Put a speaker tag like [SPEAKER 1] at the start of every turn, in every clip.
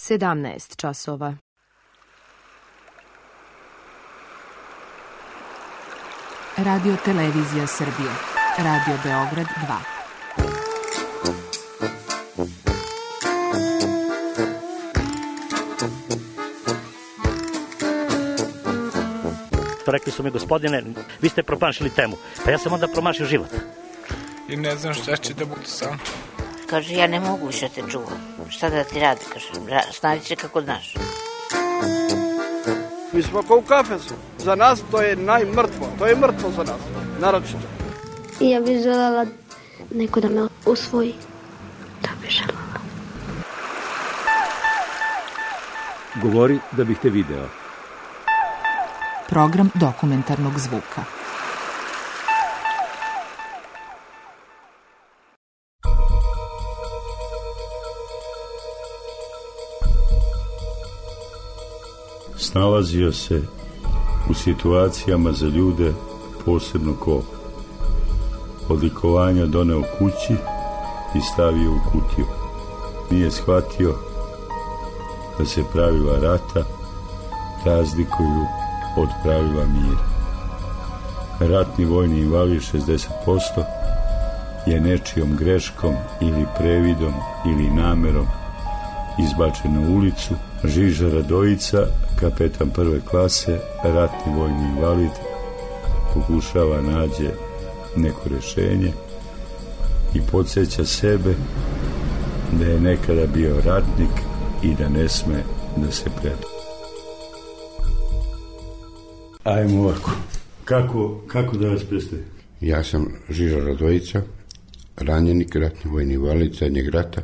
[SPEAKER 1] 17 časova.
[SPEAKER 2] Radio Televizija Srbije. Radio Beograd 2.
[SPEAKER 3] Rekli su mi, gospodine, vi ste promašili temu. Pa ja sam onda promašio život.
[SPEAKER 4] I ne znam šta će da bude sam.
[SPEAKER 5] Kaže, ja ne mogu više te čuvam. Šta da ti radi, kaže, snađi se kako znaš.
[SPEAKER 6] Mi smo kao u kafesu. Za nas to je najmrtvo. To je mrtvo za nas, naročito.
[SPEAKER 7] Ja bih željela neko da me usvoji. Da bih željela.
[SPEAKER 8] Govori da bih te video.
[SPEAKER 2] Program dokumentarnog zvuka.
[SPEAKER 9] Snalazio se u situacijama za ljude, posebno ko odlikovanja doneo kući i stavio u kutiju. Nije shvatio da se pravila rata razlikuju od pravila mira. Ratni vojni invalid 60% je nečijom greškom ili previdom ili namerom izbačen na ulicu. Žiža Radojica, kapetan prve klase, ratni vojni invalid, pokušava nađe neko rješenje i podsjeća sebe da je nekada bio ratnik i da ne sme da se preda. Ajmo ovako. Kako da vas predstavim?
[SPEAKER 10] Ja sam Žiža Radojica, ranjenik, ratni vojni invalid zadnjeg rata,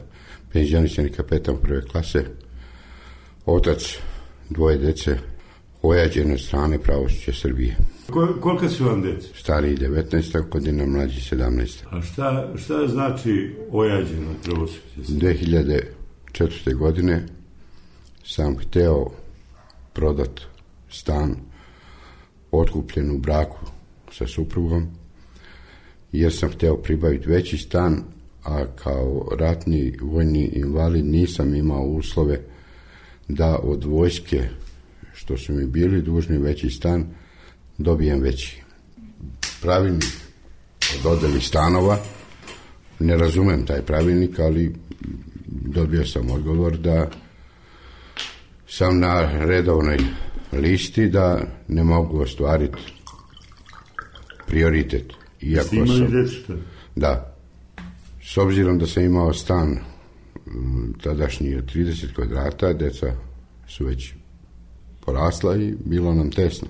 [SPEAKER 10] penzionisani kapetan prve klase, otac dvoje dece, ojađene od strane pravosuđa Srbije.
[SPEAKER 9] Koliko su vam dece?
[SPEAKER 10] Stariji 19 godina, mlađi 17.
[SPEAKER 9] A šta znači ojađeno od pravosuđa Srbije?
[SPEAKER 10] 2004. godine sam hteo prodat stan otkupljen u braku sa suprugom, jer sam hteo pribaviti veći stan, a kao ratni vojni invalid nisam imao uslove da od vojske, što su mi bili dužni veći stan, dobijem veći. Pravilnik o dodeli stanova, ne razumem taj pravilnik, ali dobio sam odgovor da sam na redovnoj listi, da ne mogu ostvariti prioritet. Iako
[SPEAKER 9] ste imali djecu?
[SPEAKER 10] Da. S obzirom da sam imao stan tadašnji od 30 kvadrata, deca su već porasla i bilo nam tesno.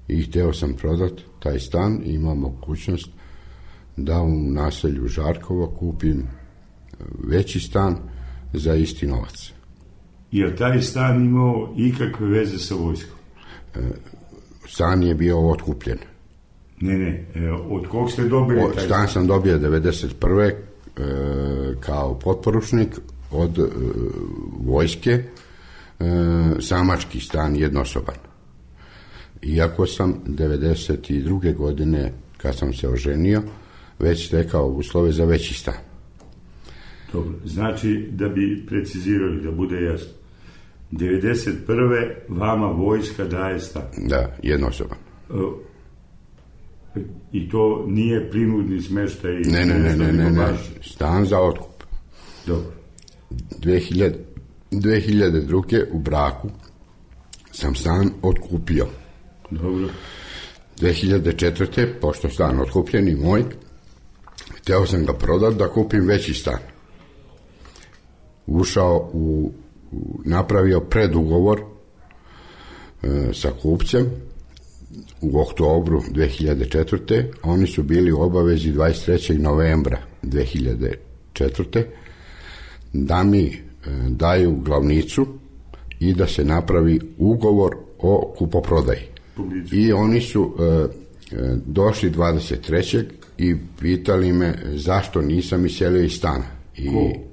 [SPEAKER 10] I htio sam prodati taj stan i imam mogućnost da u naselju Žarkovo kupim veći stan za isti novac.
[SPEAKER 9] Je taj stan imao ikakve veze sa vojskom?
[SPEAKER 10] Stan je bio otkupljen.
[SPEAKER 9] Ne, od kog ste dobili taj stan?
[SPEAKER 10] Stan sam dobio 1991. Kao potporučnik od vojske, samački stan, jednosoban. Iako sam 1992. godine, kad sam se oženio, već stekao uslove za veći stan.
[SPEAKER 9] Dobro, znači, da bi precizirali, da bude jasno, 1991. vama vojska daje stan?
[SPEAKER 10] Da, jednosoban.
[SPEAKER 9] I to nije prinudni smještaj?
[SPEAKER 10] Ne, stan za otkup.
[SPEAKER 9] Dobro.
[SPEAKER 10] 2002. u braku sam stan otkupio.
[SPEAKER 9] Dobro.
[SPEAKER 10] 2004. pošto stan otkupljen i moj, htio sam ga prodati da kupim veći stan. Ušao napravio predugovor sa kupcem u oktobru 2004. Oni su bili u obavezi 23. novembra 2004. da mi daju glavnicu i da se napravi ugovor o kupoprodaji. I oni su došli 23. i pitali me zašto nisam iselio iz stana.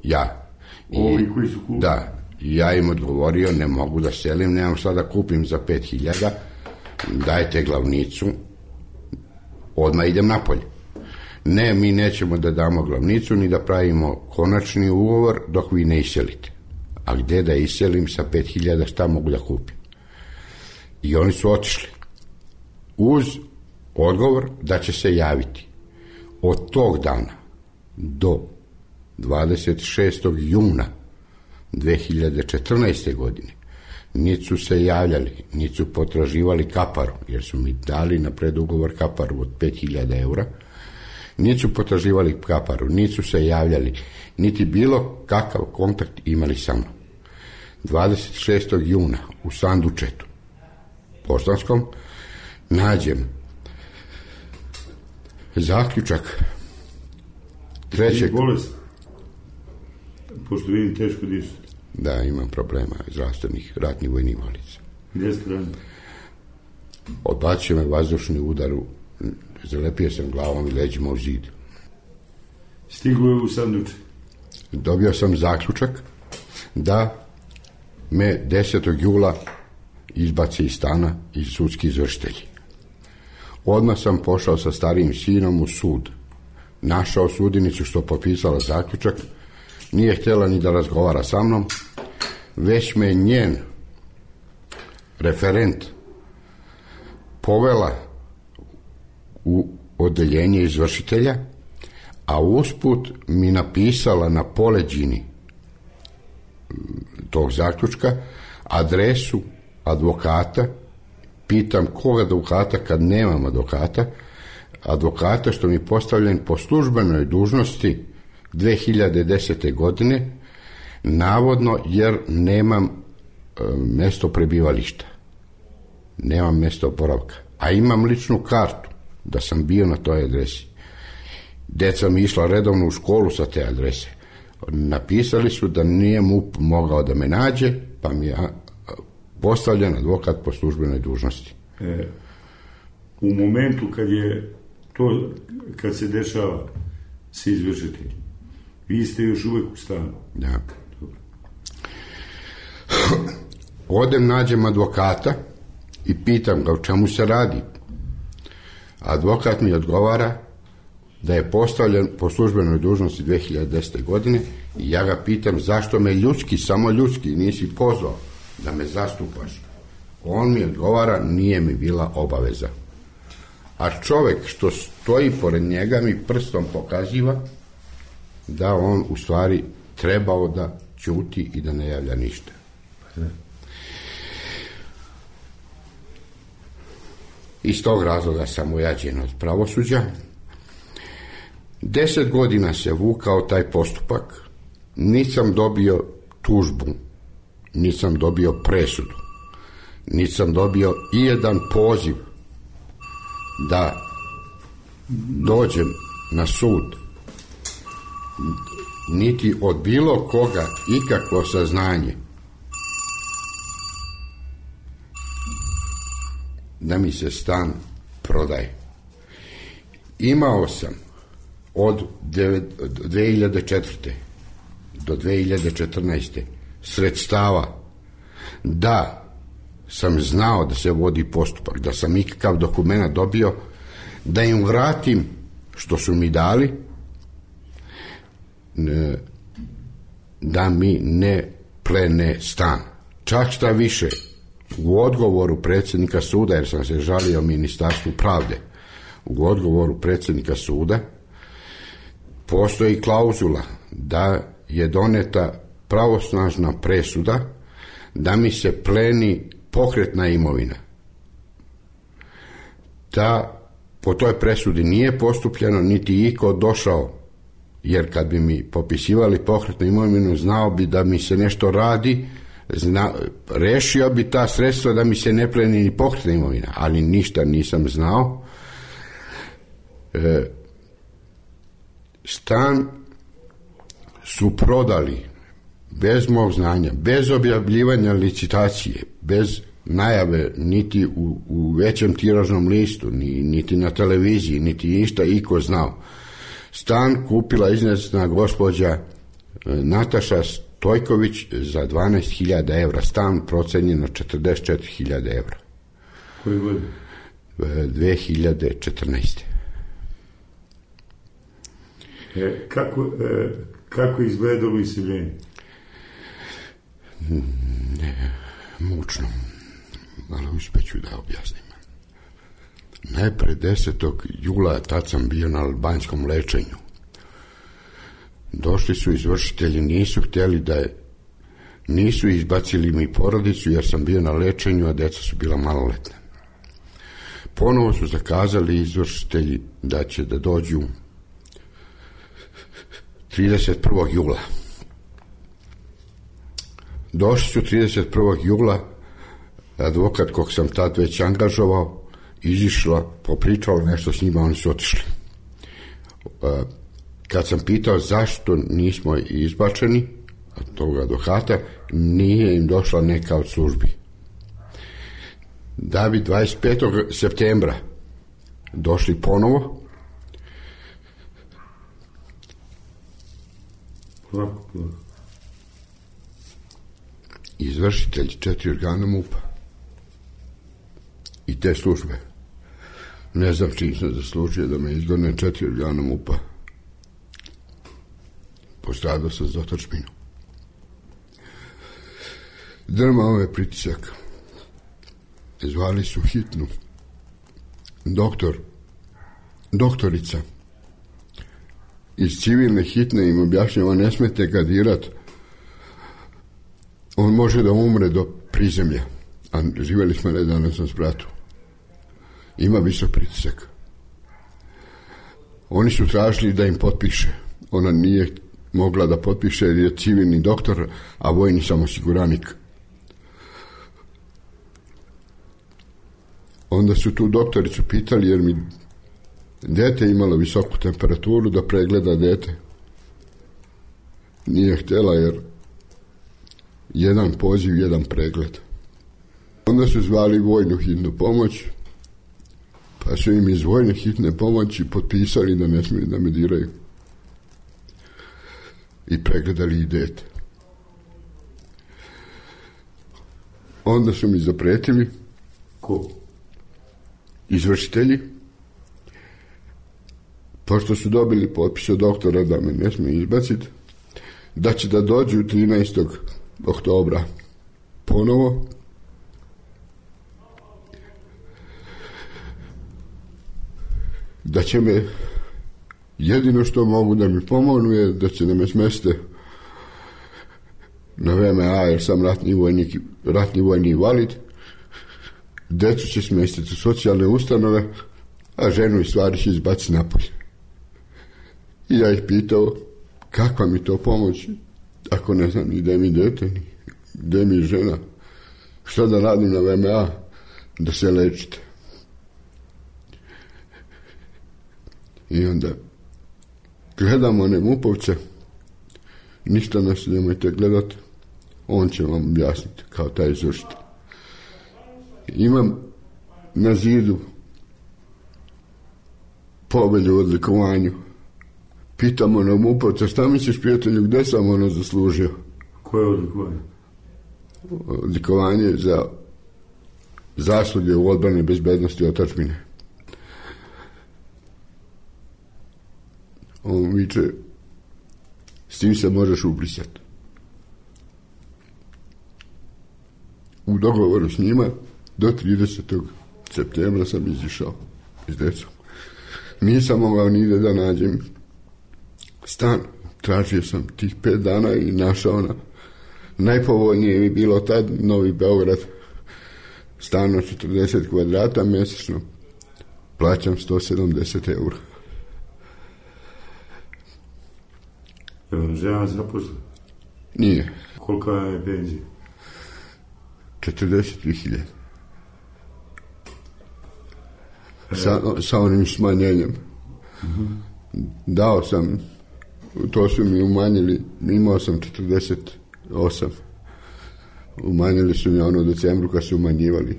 [SPEAKER 10] Ja.
[SPEAKER 9] Ovi koji su kupili?
[SPEAKER 10] Da. I ja im odgovorio, ne mogu da selim, nemam šta da kupim za 5.000, dajte glavnicu, odmah idem napolje. Ne, mi nećemo da damo glavnicu ni da pravimo konačni ugovor dok vi ne iselite. a gde da iselim sa 5.000, šta mogu da kupim? I oni su otišli uz odgovor da će se javiti. Od tog dana do 26. juna 2014. godine niti su se javljali, niti su potraživali kaparu, jer su mi dali na predugovor kaparu od 5.000 eura, niti su potraživali kaparu, niti su se javljali, niti bilo kakav kontakt imali sa mnom. 26. juna u sandučetu poštanskom nađem zaključak trećeg...
[SPEAKER 9] Bolest? Pošto vidim teško dišati.
[SPEAKER 10] Da, imam problema zdravstvenih ratnih vojnih invalica.
[SPEAKER 9] Gdje ste ranili?
[SPEAKER 10] Odbacio me vazdušni udar, zalepio sam glavom i leđima u zid.
[SPEAKER 9] Stiglo je u sanduče?
[SPEAKER 10] Dobio sam zaključak da me 10. jula izbaci iz stana i sudski izvršitelji. Odmah sam pošao sa starijim sinom u sud. Našao sudinicu što potpisala zaključak, nije htjela ni da razgovara sa mnom, već me njen referent povela u odeljenje izvršitelja, a usput mi napisala na poleđini tog zaključka adresu advokata. Pitam koga advokata kad nemam advokata što mi postavljen po službenoj dužnosti 2010. godine, navodno jer nemam mjesto prebivališta, nemam mjesto boravka, a imam ličnu kartu da sam bio na toj adresi. Deca mi išla redovno u školu sa te adrese. Napisali su da nije MUP mogao da me nađe, pa mi je postavljen advokat po službenoj dužnosti.
[SPEAKER 9] U momentu kad se dešava se izvršitelj, vi ste još uvijek u stanu?
[SPEAKER 10] Da. Odem, nađem advokata i pitam ga o čemu se radi. Advokat mi odgovara da je postavljen po službenoj dužnosti 2010. godine i ja ga pitam zašto me ljudski, samo ljudski nisi pozvao da me zastupaš. On mi odgovara nije mi bila obaveza. A čovjek što stoji pored njega mi prstom pokaziva da on u stvari trebao da ćuti i da ne javlja ništa. Iz tog razloga sam ojađen od pravosuđa. 10 godina se vukao taj postupak, nisam dobio tužbu, nisam dobio presudu, nisam dobio i jedan poziv da dođem na sud, niti od bilo koga ikakvo saznanje da mi se stan prodaje. Imao sam od 2004. do 2014. sredstava da sam znao da se vodi postupak, da sam ikakav dokument dobio, da im vratim što su mi dali, da mi ne plene stan. Čak šta više, u odgovoru predsjednika suda, jer sam se žalio Ministarstvu pravde, u odgovoru predsjednika suda postoji klauzula da je doneta pravosnažna presuda da mi se pleni pokretna imovina. Da po toj presudi nije postupljeno, niti iko došao, jer kad bi mi popisivali pokretnu imovinu, znao bi da mi se nešto radi, rešio bi ta sredstva da mi se ne pleni ni pokretna imovina, ali ništa nisam znao. Stan su prodali bez mog znanja, bez objavljivanja licitacije, bez najave, niti u većem tiražnom listu, niti na televiziji, niti išta iko znao. Stan kupila iznesna gospođa Nataša Stojković za 12.000 evra. Stan procenjen na 44.000 evra.
[SPEAKER 9] Koje godine?
[SPEAKER 10] 2014.
[SPEAKER 9] Kako izgledalo iseljenje?
[SPEAKER 10] Ne, mučno, ali uspeću da objasnim. Najpre 10. jula tad sam bio na albanskom lečenju. Došli su izvršitelji, nisu htjeli nisu izbacili mi porodicu jer sam bio na lečenju, a deca su bila maloletna. Ponovo su zakazali izvršitelji da će da dođu 31. jula. Došli su 31. jula, advokat kog sam tad već angažovao, izišla, popričala nešto s njima, oni su otišli. Kad sam pitao zašto nismo izbačeni od toga advokata, nije im došla neka od službi. Da bi 25. septembra došli ponovo, izvršitelji 4 organa MUP-a i te službe. Ne znam čim sam zaslužio da me izgone 4 organa MUP-a. Postradao sam za otadžbinu. Drmao je pritisak. Zvali su hitnu. Doktorica iz civilne hitne im objašnjava, ne smete ga dirat. On može da umre do prizemlja. A živjeli smo nedavno sam s bratom. Ima visok pritisak. Oni su tražili da im potpiše. Ona nije mogla da potpiše jer je civilni doktor, a vojni sam osiguranik. Onda su tu doktoricu pitali jer mi dete imalo visoku temperaturu da pregleda dete. Nije htjela jer jedan poziv, jedan pregled. Onda su zvali vojnu hitnu pomoć, pa su im iz vojne hitne pomoći potpisali da ne smiju da me diraju. I pregledali i dete. Onda su mi zapretili. Ko? Izvršitelji. Pošto su dobili potpis od doktora da me ne smiju izbaciti, da će da dođu 13. oktobra ponovo. Da će me, jedino što mogu da mi pomognu je da će da me smeste na VMA jer sam ratni vojni invalid. Decu će smestiti u socijalne ustanove, a ženu i stvari će izbaciti napolje. I ja ih pitao kakva mi to pomoć ako ne znam ni gde mi dete, ni gde mi žena, šta da radim na VMA da se lečite. I onda gledamo one MUP-ovce, ništa nas nemojte gledati, on će vam objasniti kao taj izvršitelj. Imam na zidu povelju o odlikovanju. Pitamo na MUP-ovca, šta misliš prijatelju, gde sam ono zaslužio?
[SPEAKER 9] Koje odlikovanje?
[SPEAKER 10] Odlikovanje za zasluge u odbrani bezbednosti otadžbine. On viče, s tim se možeš ubrisati. U dogovoru s njima do 30. septembra sam izišao iz decom. Nisam mogao nigde da nađem stan. Tražio sam tih 5 dana i našao na najpovoljnije mi bilo tad Novi Beograd. Stan od 40 kvadrata mjesečno. Plaćam 170 eura.
[SPEAKER 9] Je vam žena zaposla?
[SPEAKER 10] Nije.
[SPEAKER 9] Kolika je penzija?
[SPEAKER 10] 43.000. Sa onim smanjenjem. Dao sam, to su mi umanjili, imao sam 48. Umanjili su mi ono u decembru kad su umanjivali.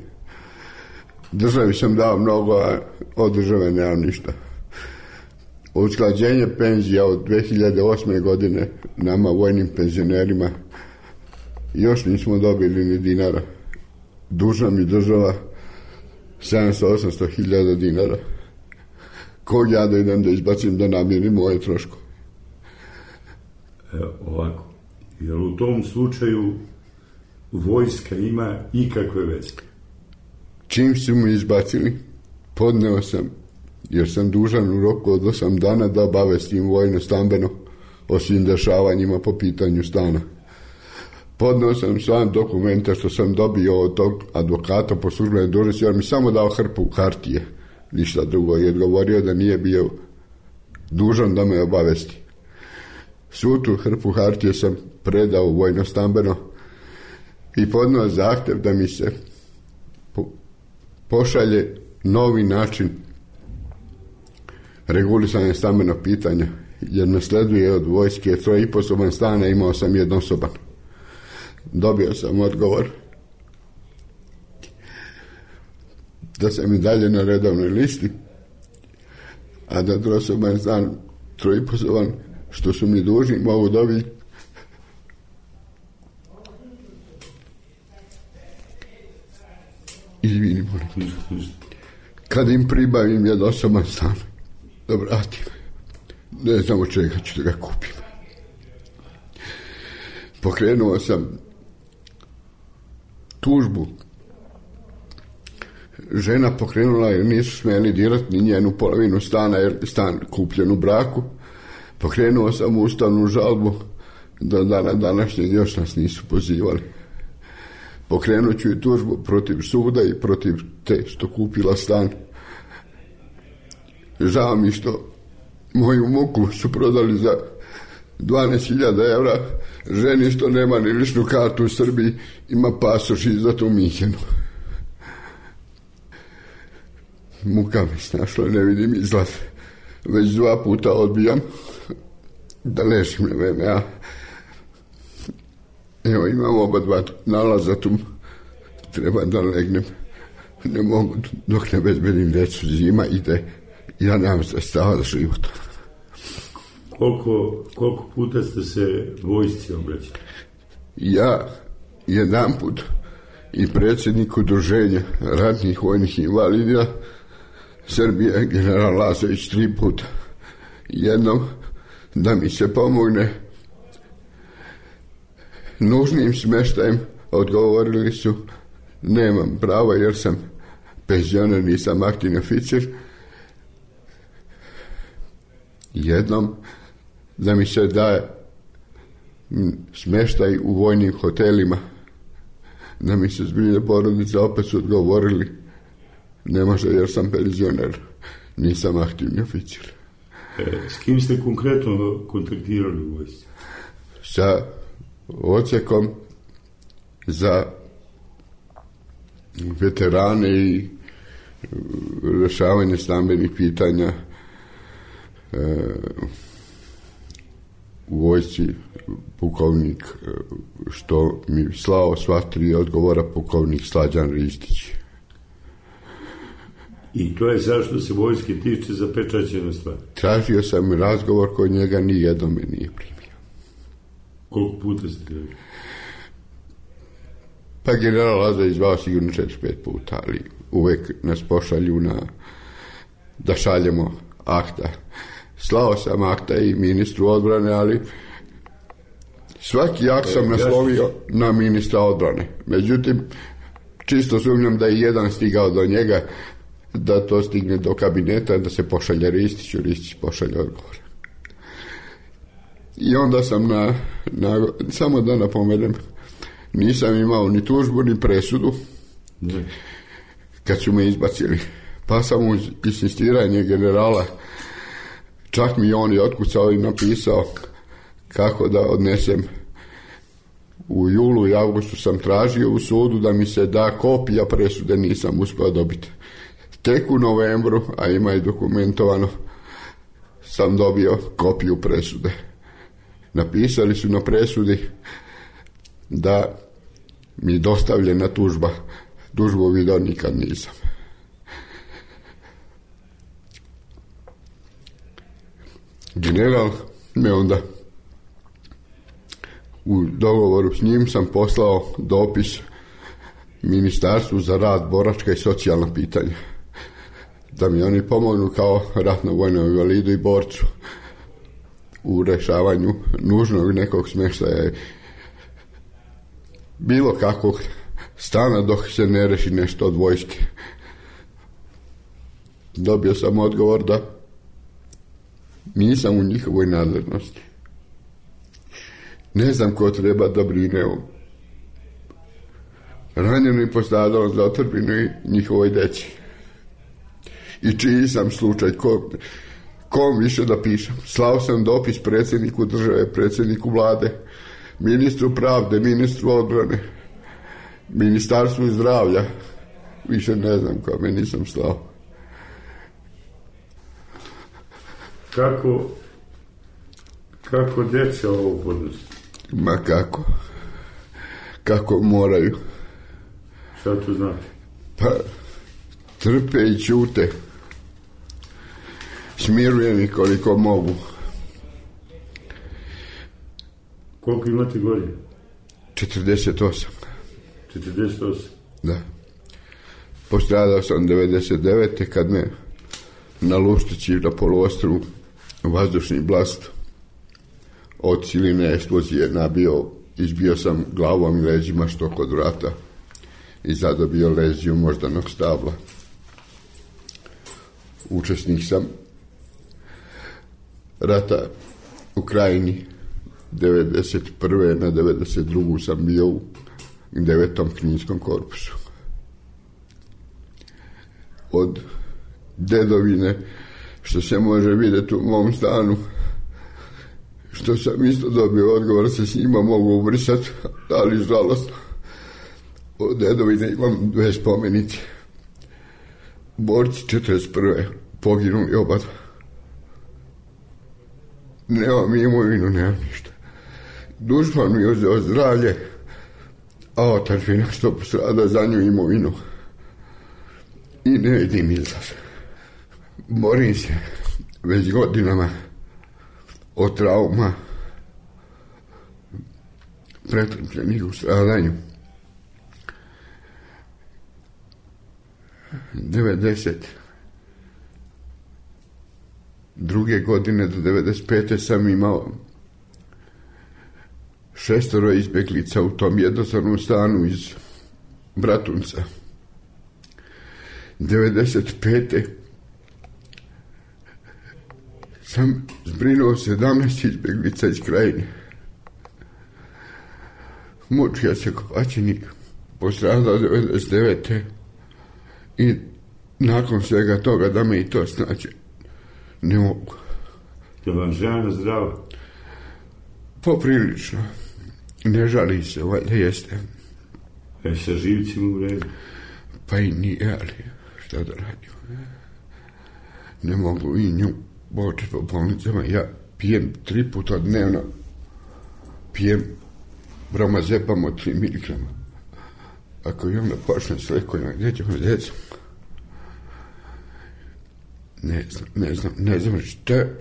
[SPEAKER 10] Državi sam dao mnogo, a od države nemam ništa. Usklađenje penzija od 2008. godine nama vojnim penzionerima još nismo dobili ni dinara. Dužna mi država 700-800 dinara. Kog ja da idem da izbacim da namirim moje troško?
[SPEAKER 9] Ovako, jer u tom slučaju vojska ima ikakve veze?
[SPEAKER 10] Čim su mi izbacili, podneo sam, jer sam dužan u roku od 8 dana da obavestim vojno-stambeno o svim dešavanjima po pitanju stana. Podneo sam sam dokumenta što sam dobio od tog advokata po službenoj dužnosti, jer mi samo dao hrpu hartije, ništa drugo, i odgovorio da nije bio dužan da me obavesti. Svu tu hrpu hartije sam predao vojno-stambeno i podneo zahtjev da mi se pošalje novi način regulisanja stambenog pitanja, jer nasleduje od vojske 3,5 stana, imao sam jednosoban. Dobio sam odgovor da sam i dalje na redovnoj listi, a da trosoban stan 3,5 što su mi dužni mogu dobiti izvini, molim. Kad im pribavim jednosoban stan, da vratim. Ne znam od čega ću da ga kupim. Pokrenuo sam tužbu. Žena pokrenula jer nisu smjeli dirati ni njenu polovinu stana, jer stan kupljen u braku. Pokrenuo sam ustavnu žalbu, do dana današnjeg još nas nisu pozivali. Pokrenut ću i tužbu protiv suda i protiv te što kupila stan. Žao mi što moju muku su prodali za 12.000 evra, ženi što nema ni ličnu kartu u Srbiji, ima pasoš izdat u Minhenu. Muka mi snašla, ne vidim izlaz. Već 2 puta odbijam da ležim na VMA. Evo, imam oba 2 nalaza tu, treba da legnem. Ne mogu dok ne bezbedim djecu, zima ide, ja nemam sredstava za život.
[SPEAKER 9] Koliko puta ste se vojsci obraćali?
[SPEAKER 10] Ja 1 put i predsjednik udruženja ratnih vojnih invalida Srbije, general Lazović, 3 puta. Jednom da mi se pomogne nužnim smještajem, odgovorili su nemam pravo jer sam penzioner, nisam aktivni oficir. Jednom da mi se daje smještaj u vojnim hotelima, da mi se zbilje porodica, opet su odgovorili ne može jer sam penzioner, nisam aktivni oficir.
[SPEAKER 9] S kim ste konkretno kontaktirali u vojsci?
[SPEAKER 10] Sa odsjekom za veterane i rješavanje stambenih pitanja u vojsci, pukovnik što mi slao sva 3 odgovora, pukovnik Slađan Ristić.
[SPEAKER 9] I to je zašto se vojske tiče zapečaćena stvar?
[SPEAKER 10] Tražio sam razgovor kod njega, nijednom me nije primio.
[SPEAKER 9] Koliko puta ste tražili?
[SPEAKER 10] Pa general Lazović zvao sigurno 4-5 puta, ali uvek nas pošalju da šaljemo akta. Slao sam akta i ministru odbrane, ali svaki akt sam naslovio na ministra odbrane. Međutim, čisto sumnjam da je jedan stigao do njega, da to stigne do kabineta, da se pošalje Ristiću, Ristić pošalje odgovor. I onda sam samo da napomenem, nisam imao ni tužbu, ni presudu kad su me izbacili. Pa sam uz insistiranje generala, čak mi on je otkucao i napisao kako da odnesem. U julu i avgustu sam tražio u sudu da mi se da kopija presude, nisam uspio dobiti. Tek u novembru, a ima i dokumentovano, sam dobio kopiju presude. Napisali su na presudi da mi dostavljena tužba. Tužbu vidio nikad nisam. General me onda, u dogovoru s njim sam poslao dopis Ministarstvu za rad, boračka i socijalna pitanja, da mi oni pomognu kao ratno vojnom invalidu i borcu u rešavanju nužnog nekog smještaja bilo kakvog stana dok se ne reši nešto od vojske. Dobio sam odgovor da nisam u njihovoj nadležnosti. Ne znam ko treba da brine o ranjenom i postradalom za otadžbinu i njihovoj deci. I čiji sam slučaj, kom više da pišem. Slao sam dopis predsjedniku države, predsjedniku vlade, ministru pravde, ministru odbrane, ministarstvu zdravlja. Više ne znam kome nisam slao.
[SPEAKER 9] Kako djeca ovo podnosi?
[SPEAKER 10] Ma kako moraju.
[SPEAKER 9] Šta to znači?
[SPEAKER 10] Pa trpe i ćute. Smirujem ih koliko mogu.
[SPEAKER 9] Koliko imate godina?
[SPEAKER 10] 48.
[SPEAKER 9] 48?
[SPEAKER 10] Da. Postradao sam 99. kad me na Luštići na poluostrvu vazdušni blast od siline eksplozije nabio, izbio sam glavom i leđima što kod vrata i zadobio leziju moždanog stabla. Učesnik sam rata u Krajini. 91. na 92. sam bio u 9. kninskom korpusu. Od dedovine, što se može vidjeti u mom stanu, što sam isto dobio odgovor, se s njima mogu ubrisati, ali žalostno. Od dedovine imam 2 spomenice. Borci 41. poginuli oba dva. Nemam imovinu, nemam ništa. Dušman mi je uzeo zdravlje, a otadžbina što postrada za nju imovinu. I ne vidim izlaz. Borim se već godinama od trauma pretrpljenih u stradanju. 92. godine do 95. sam imao 6 izbjeglica u tom jednostavnom stanu iz Bratunca. 95. sam zbrinuo 17 izbjeglica iz Krajine. Mučio se Kopačenik, postradao 99. I nakon svega toga da me i to snađe, ne mogu.
[SPEAKER 9] Je vam žena zdrava?
[SPEAKER 10] Poprilično. Ne žali se, valjda jeste.
[SPEAKER 9] Sa živcima u redu?
[SPEAKER 10] Pa i nije, ali šta da radim? Ne mogu i nju početi po bolnicama. Ja pijem 3 puta dnevno. Pijem bromazepam od 3 miligrama. Ako i onda počne s lekovima, gdje ćemo djecom? Ne znam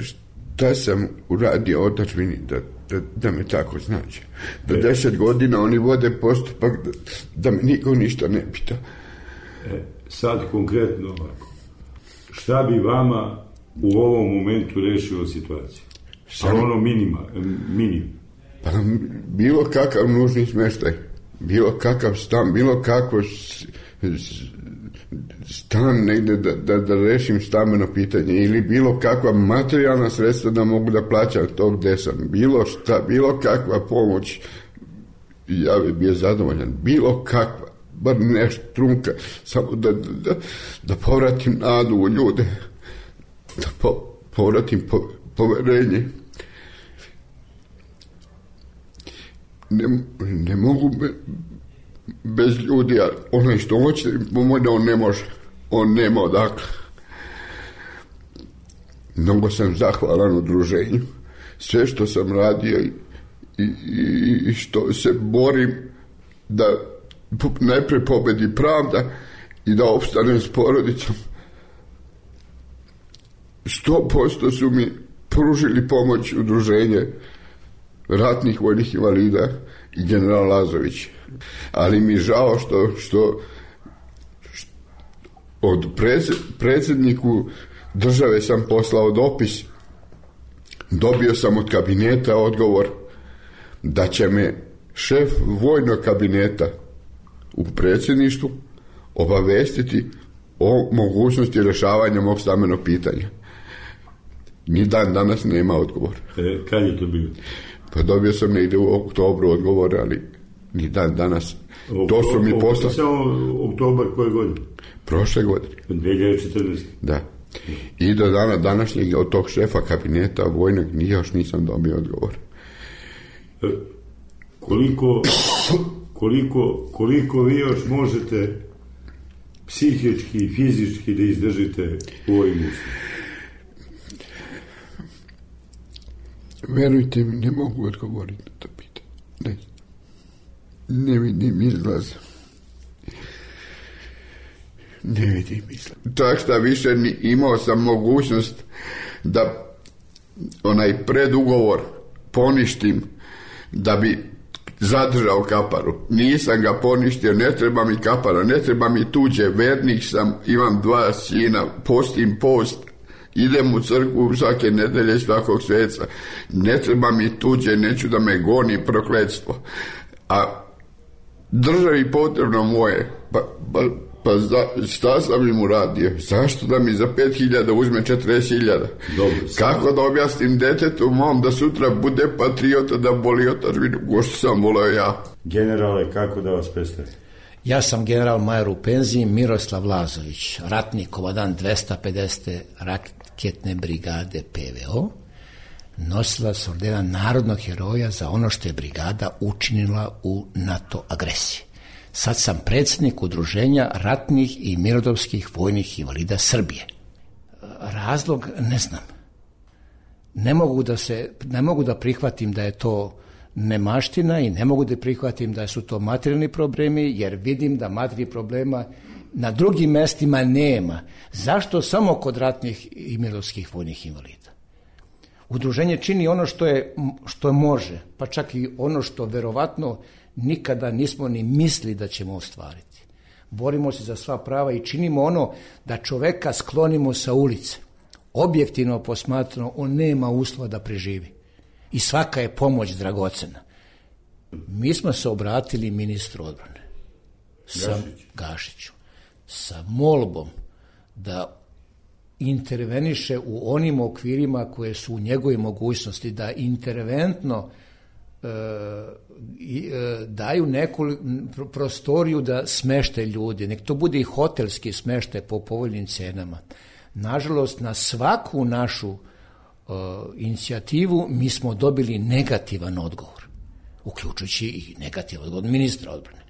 [SPEAKER 10] šta sam uradio otadžbini da me tako znači. Da 10 godina oni vode postupak da me niko ništa ne pita.
[SPEAKER 9] Sad konkretno ovako. Šta bi vama u ovom momentu rešilo situaciju? Ali ono minimum.
[SPEAKER 10] Pa bilo kakav nužni smještaj, bilo kakav stan, bilo kakvo stan negdje da rešim stambeno pitanje ili bilo kakva materijalna sredstva da mogu da plaćam to gde sam. Bilo šta, bilo kakva pomoć, ja bi bio zadovoljan. Bilo kakva, bar nešto trunka, samo da povratim nadu u ljude, da povratim poverenje. Ne mogu bez ljudi, a onaj što hoće pomoći, on ne može. On nema odakle. Mnogo sam zahvalan udruženju. Sve što sam radio i što se borim da najprej pobedi pravda i da opstanem s porodicom. 100% su mi pružili pomoć udruženje ratnih vojnih invalida i general Lazović. Ali mi žao što od predsjedniku države sam poslao dopis. Dobio sam od kabineta odgovor da će me šef vojnog kabineta u predsjedništvu obavestiti o mogućnosti rješavanja mog stambenog pitanja. Ni dan danas nema odgovor.
[SPEAKER 9] Kad je to bilo?
[SPEAKER 10] Pa dobio sam negdje u oktobru odgovor, ali ni dan danas. To su mi poslali.
[SPEAKER 9] Samo oktobar koje godine?
[SPEAKER 10] Prošle godine.
[SPEAKER 9] 2014.
[SPEAKER 10] Da. I do dana današnjeg od tog šefa kabineta vojnog još nisam dobio odgovor.
[SPEAKER 9] Koliko vi još možete psihički i fizički da izdržite u ovoj misli?
[SPEAKER 10] Verujte mi, ne mogu odgovoriti na to pitanje. Ne vidim izlaz. Ne vidim izlaz. Čak šta više imao sam mogućnost da onaj predugovor poništim da bi zadržao kaparu. Nisam ga poništio, ne treba mi kapara, ne treba mi tuđe, vernik sam, imam 2 sina, postim post, idem u crkvu svake nedelje svakog sveca, ne treba mi tuđe, neću da me goni prokletstvo. A državi potrebno moje, pa šta sam im uradio? Zašto da mi za 5.000 uzme 40.000? Kako da objasnim detetu mom da sutra bude patriota, da voli otadžbinu, ko što sam voleo ja?
[SPEAKER 9] Generale, kako da vas predstavim?
[SPEAKER 1] Ja sam general major u penziji Miroslav Lazović, ratni komandant 250. raketne brigade PVO, nosilac ordena narodnog heroja za ono što je brigada učinila u NATO agresiji. Sad sam predsjednik udruženja ratnih i mirnodopskih vojnih invalida Srbije. Razlog ne znam. Ne mogu da prihvatim da je to nemaština i ne mogu da prihvatim da su to materijalni problemi, jer vidim da materijalnih problema na drugim mestima nema. Zašto samo kod ratnih i mirnodopskih vojnih invalida? Udruženje čini ono što može, pa čak i ono što verovatno nikada nismo ni mislili da ćemo ostvariti. Borimo se za sva prava i činimo ono da čoveka sklonimo sa ulice. Objektivno posmatrano, on nema uslova da preživi. I svaka je pomoć dragocena. Mi smo se obratili ministru odbrane, Gašiću, sa molbom da interveniše u onim okvirima koje su u njegovoj mogućnosti, da interventno daju neku prostoriju da smešte ljudi, nek to bude i hotelski smeštaj po povoljnim cenama. Nažalost, na svaku našu inicijativu mi smo dobili negativan odgovor, uključujući i negativan odgovor ministra odbrane.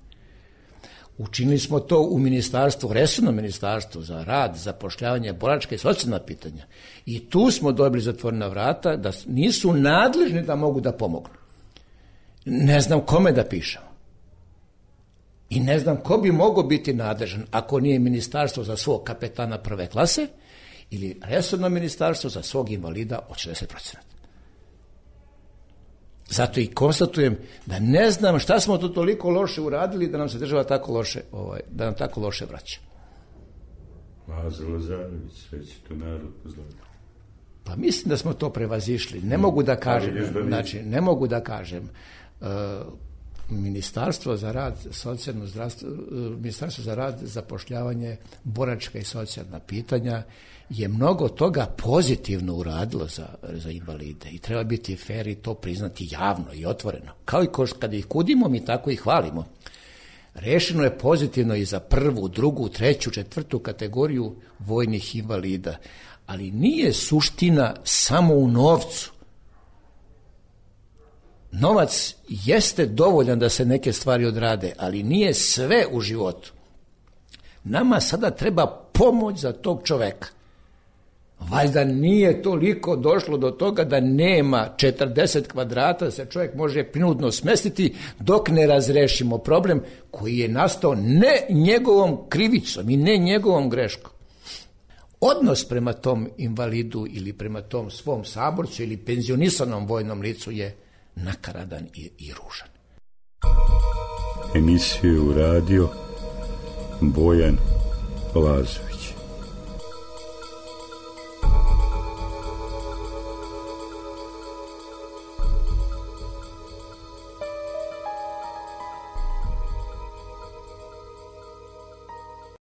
[SPEAKER 1] Učinili smo to u ministarstvu, resorno ministarstvo za rad, zapošljavanje, boračka i socijalna pitanja. I tu smo dobili zatvorena vrata da nisu nadležni da mogu da pomognu. Ne znam kome da pišemo. I ne znam ko bi mogao biti nadležan ako nije ministarstvo za svog kapetana prve klase ili resorno ministarstvo za svog invalida od 60%. Zato i konstatujem da ne znam šta smo to toliko loše uradili da nam se država tako loše, da nam tako loše vraća.
[SPEAKER 9] Lazar Lazarević, sve će to narod pozdraviti.
[SPEAKER 1] Pa mislim da smo to prevazišli. Ne mogu da kažem, ne mogu da kažem. Ministarstvo za rad, socijalno zdravstvo, Ministarstvo za rad, zapošljavanje, boračka i socijalna pitanja je mnogo toga pozitivno uradilo za invalide i treba biti fer i to priznati javno i otvoreno. Kao i kada ih kudimo, mi tako i hvalimo. Rešeno je pozitivno i za 1., 2., 3., 4. kategoriju vojnih invalida, ali nije suština samo u novcu. Novac jeste dovoljan da se neke stvari odrade, ali nije sve u životu. Nama sada treba pomoć za tog čoveka. Valjda nije toliko došlo do toga da nema 40 kvadrata da se čovjek može prinudno smestiti dok ne razrešimo problem koji je nastao ne njegovom krivicom i ne njegovom greškom. Odnos prema tom invalidu ili prema tom svom saborcu ili penzionisanom vojnom licu je nakaradan i ružan.
[SPEAKER 9] Emisiju radio Bojan Lazović.